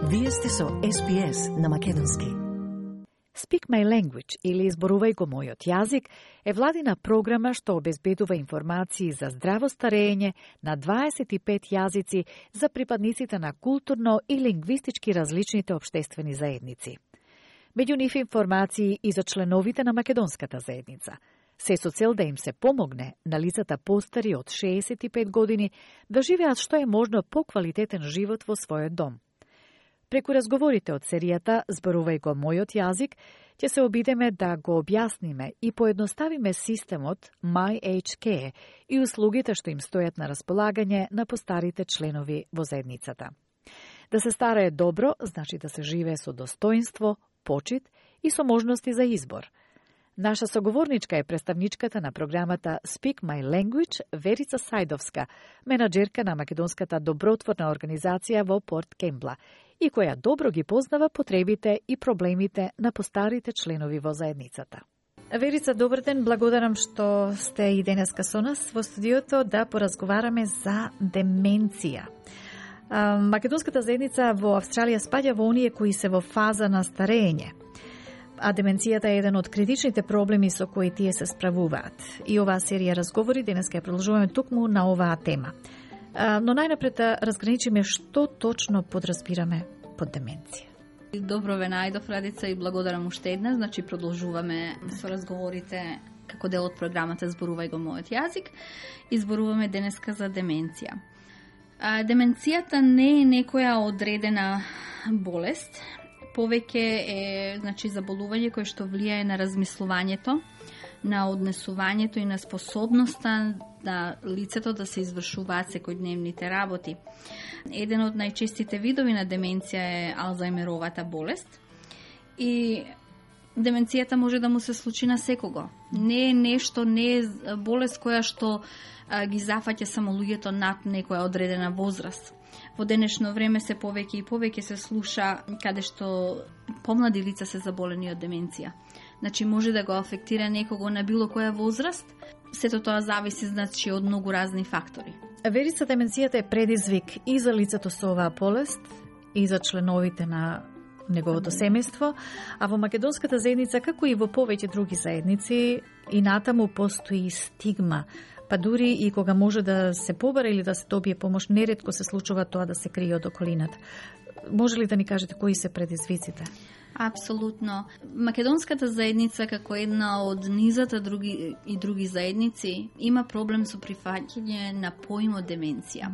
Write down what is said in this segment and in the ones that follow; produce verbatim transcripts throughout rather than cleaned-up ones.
Вие сте со Ес Би Ес на македонски. Speak My Language или Изборувај го мојот јазик е владина програма што обезбедува информации за здраво старење на дваесет и пет јазици за припадниците на културно и лингвистички различните општествени заедници. Меѓу нив информации и за членовите на македонската заедница, се со цел да им се помогне на лицата постари од шеесет и пет години да живеат што е можно поквалитетен живот во својот дом. Преку разговорите од серијата Зборувај го мојот јазик, ќе се обидеме да го објасниме и поедноставиме системот My Age Care и услугите што им стојат на располагање на постарите членови во заедницата. Да се старае добро, значи да се живее со достоинство, почит и со можности за избор. Наша соговорничка е представничката на програмата Speak My Language Верица Сајдовска, менаџерка на македонската добротворна организација во Порт Кембла и која добро ги познава потребите и проблемите на постарите членови во заедницата. Верица, добар ден, благодарам што сте и денеска со нас во студиото да поразговараме за деменција. Македонската заедница во Австралија спаѓа во оние кои се во фаза на старење. А деменцијата е еден од критичните проблеми со кои тие се справуваат. И оваа серија разговори денеска ја продолжуваме токму на оваа тема. Но најнапред да разграничиме што точно подразбираме под деменција. Добро ве најдов, Радица, и благодарам уште една. Значи, продолжуваме со разговорите како дел од програмата Зборувај го мојот јазик и зборуваме денеска за деменција. А, деменцијата не е некоја одредена болест, повеќе е, значи, заболување кое што влијае на размислувањето, на однесувањето и на способноста на лицето да се извршуваат секојдневните работи. Еден од најчестите видови на деменција е Алцајмеровата болест и деменцијата може да му се случи на секого. Не е нешто, не е болест која што а, ги зафаќа само луѓето над некоја одредена возраст. Во денешно време се повеќе и повеќе се слуша каде што помлади лица се заболени од деменција. Значи може да го афектира некого на било која возраст, сето тоа зависи, значи, од многу разни фактори. Верица, деменцијата е предизвик и за лицето со оваа болест, и за членовите на неговото семејство, а во македонската заедница, како и во повеќе други заедници, и натаму постои стигма, па дури и кога може да се побара или да се добие помош, неретко се случува тоа да се крие од околината. Може ли да ни кажете кои се предизвиците? Апсолутно. Македонската заедница, како една од низата други и други заедници, има проблем со прифаќање на поимот деменција.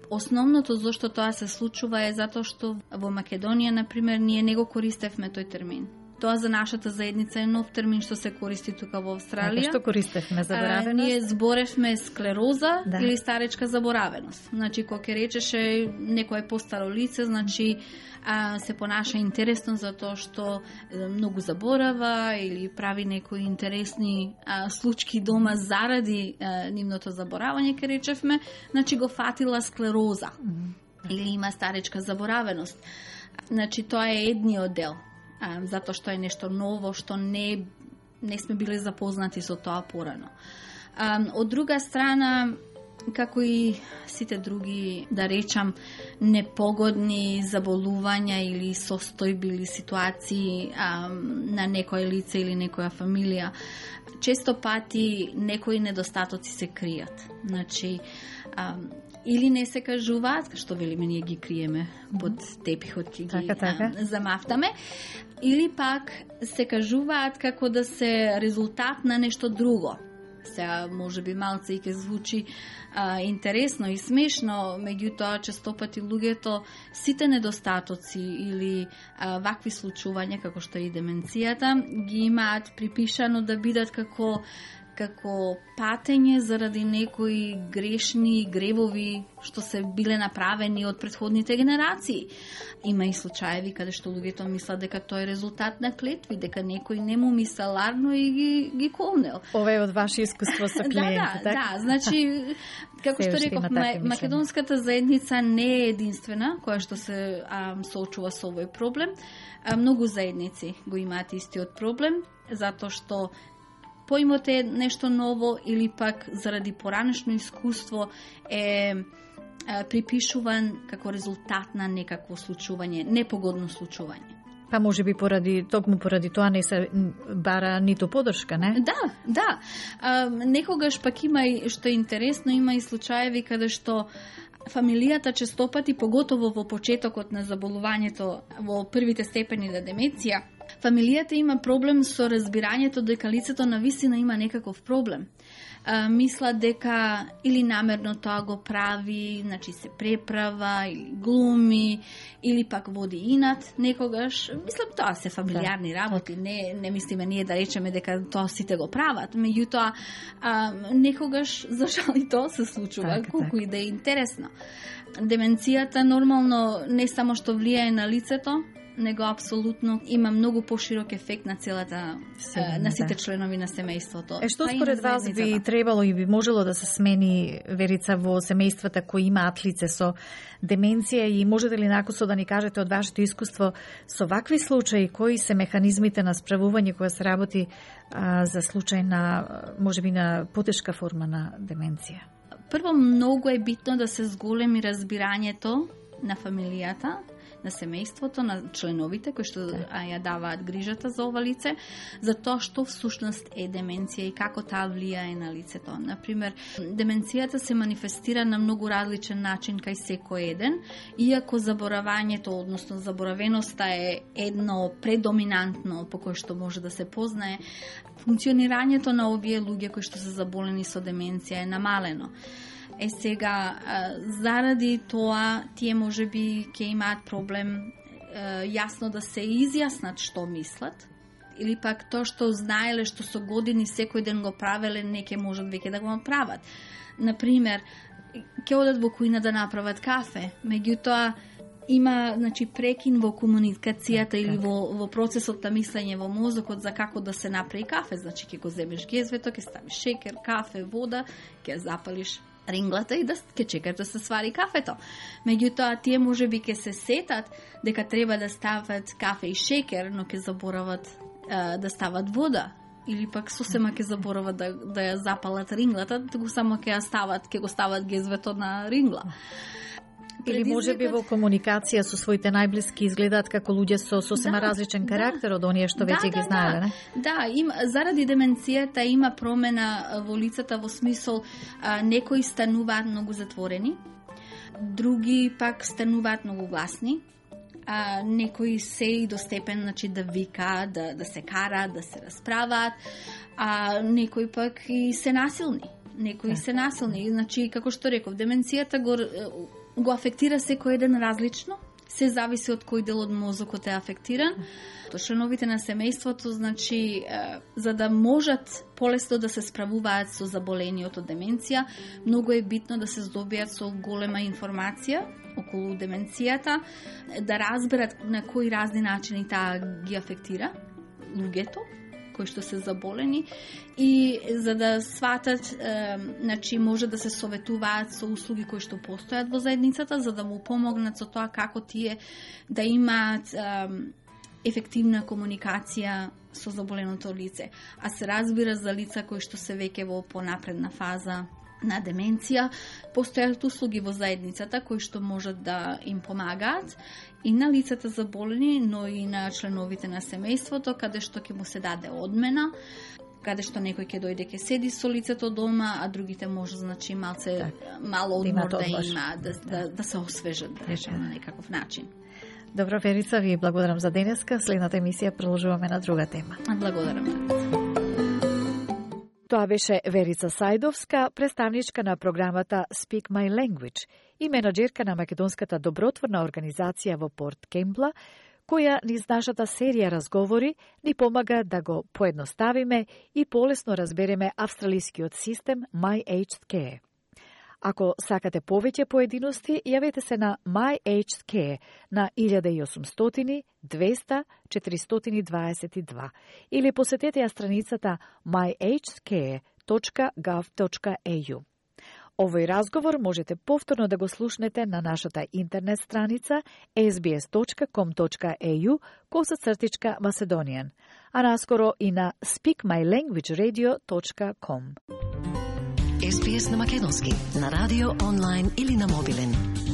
Основното зашто тоа се случува е затоа што во Македонија, например, ние не го користевме тој термин. Тоа за нашата заедница е нов термин што се користи тука во Австралија. А, што користевме? Заборавеност? А, ние зборевме склероза, да, или старечка заборавеност. Значи, кога ќе речеше некое постаро лице, значи а, се понаша интересно за тоа што многу заборава или прави некои интересни а, случки дома заради а, нивното заборавање, ќе речевме, значи го фатила склероза. Mm-hmm. Или има старечка заборавеност. Значи, тоа е едниот дел. А, затоа што е нешто ново, што не, не сме били запознати со тоа порано. А, од друга страна, како и сите други, да речам, непогодни заболувања или состојби или ситуации а, на некој лице или некоја фамилија, често пати некои недостатоци се кријат. Значи, а, или не се кажуваат, што велиме, ние ги криеме под тепихот и ги така, така. А, замафтаме, или пак се кажуваат како да се резултат на нешто друго. Сега може би малце и ќе звучи а, интересно и смешно, меѓутоа често пати луѓето сите недостатоци или а, вакви случувања како што е и деменцијата ги имаат припишано да бидат како како патење заради некои грешни гревови што се биле направени од претходните генерации. Има и случаеви каде што луѓето мислат дека тоа е резултат на клетви, дека некој не му мислел ларно и ги, ги колнел. Ова е од ваше искуство со клиенти, да, да, да, значи, како што реков, македонската заедница не е единствена која што се а, соочува со овој проблем. А, многу заедници го имаат истиот проблем, затоа што поимот е нешто ново или пак заради поранешно искуство е припишуван како резултат на некакво случување, непогодно случување. Па може би поради, токму поради тоа не се бара ниту поддршка, не? Да, да. А, некогаш пак има и, што е интересно, има и случаеви каде што фамилијата честопати, поготово во почетокот на заболувањето, во првите степени на деменција, фамилијата има проблем со разбирањето дека лицето навистина има некаков проблем. А, мислат дека или намерно тоа го прави, значи се преправа, или глуми, или пак води инат некогаш. Мислам, тоа се фамилиарни работи, не, не мислиме ние да речеме дека тоа сите го прават. Меѓутоа, а, некогаш, за жал и тоа се случува, так, колку так. И да е интересно. Деменцијата нормално не само што влијае на лицето, него апсолутно има многу поширок ефект на целата, Сигурно, на сите да. членови на семејството. Е, што според вас би требало и би можело да се смени, Верица, во семејствата кои имаат лице со деменција, и можете ли накусо да ни кажете од вашето искуство со вакви случаи, кои се механизмите на справување која се работи а, за случај на, можеби, на потешка форма на деменција? Прво, многу е битно да се зголеми разбирањето на фамилијата, на семејството, на членовите кои што а, ја даваат грижата за ова лице, за тоа што всушност е деменција и како таа влијае на лицето. Например, деменцијата се манифестира на многу различен начин кај секој еден, иако заборавањето, односно заборавеноста е едно предоминантно по кој што може да се познае, функционирањето на овие луѓе кои што се заболени со деменција е намалено. Е сега, заради тоа, тие може би ќе имаат проблем јасно да се изјаснат што мислат, или пак тоа што знаеле, што со години секој ден го правеле, не ќе можат веќе да го направат. Например, ќе одат во кујна да направат кафе, меѓутоа има, значи, прекин во комуникацијата или во, во процесот на мислење во мозокот за како да се направи кафе. Значи, ќе го земеш гезвето, ќе ставиш шекер, кафе, вода, ќе запалиш ринглата и да ќе чекаш да се свари кафето. Меѓутоа, тие може би ќе се сетат дека треба да стават кафе и шекер, но ќе заборават а, да стават вода. Или пак сосема ќе заборават да, да ја запалат ринглата, туку само ќе ја стават, ќе го стават гезвето на рингла. Или може би во комуникација со своите најблиски изгледаат како луѓе со сосема да, различен карактер да. од оние што веќе да, ги знаеле, не? Да, им, заради деменцијата има промена во лицата во смисол а, некои стануваат многу затворени, други пак стануваат многу гласни, а, некои се и до степен, значи, да вика, да, да се кара, да се расправаат, а некои пак и се насилни. Некои се насилни, значи, како што реков, деменцијата го го афектира секој еден различно, се зависи од кој дел од мозокот е афектиран. Членовите на семејството, значи, за да можат полесно да се справуваат со заболениот од деменција, многу е битно да се здобијат со голема информација околу деменцијата, да разберат на кои разни начини таа ги афектира луѓето кои што се заболени, и за да сватат, е, значи, може да се советуваат со услуги кои што постојат во заедницата, за да му помогнат со тоа како тие да имаат е, ефективна комуникација со заболеното лице. А се разбира за лица кои што се веќе во понапредна фаза на деменција, постојат услуги во заедницата кои што можат да им помагаат и на лицата заболени, но и на членовите на семејството, каде што ќе му се даде одмена, каде што некој ќе дојде ќе седи со лицето дома, а другите може, значи, малце так, мало одмор да има, да, да, да се освежат, да речем, на некаков начин. Добро, Верица, ви благодарам за денеска. Следната емисија продолжуваме на друга тема. Благодарам, Верица. Тоа беше Верица Сајдовска, представничка на програмата Speak My Language и менаџерка на македонската добротворна организација во Порт Кемпла, која низ нашата серија разговори ни помага да го поедноставиме и полесно разбереме австралискиот систем My Aged Care. Ако сакате повеќе поединости, јавете се на My Aged Care на илјада и осумстотини двеста четиристотини дваесет и два или посетете ја страницата my aged care точка gov точка a u. Овој разговор можете повторно да го слушнете на нашата интернет страница ес би ес точка ком точка a u косацртичка Macedonian, а наскоро и на speak my language radio точка com. Ес Би Ес на македонски, на радио, онлайн или на мобилен.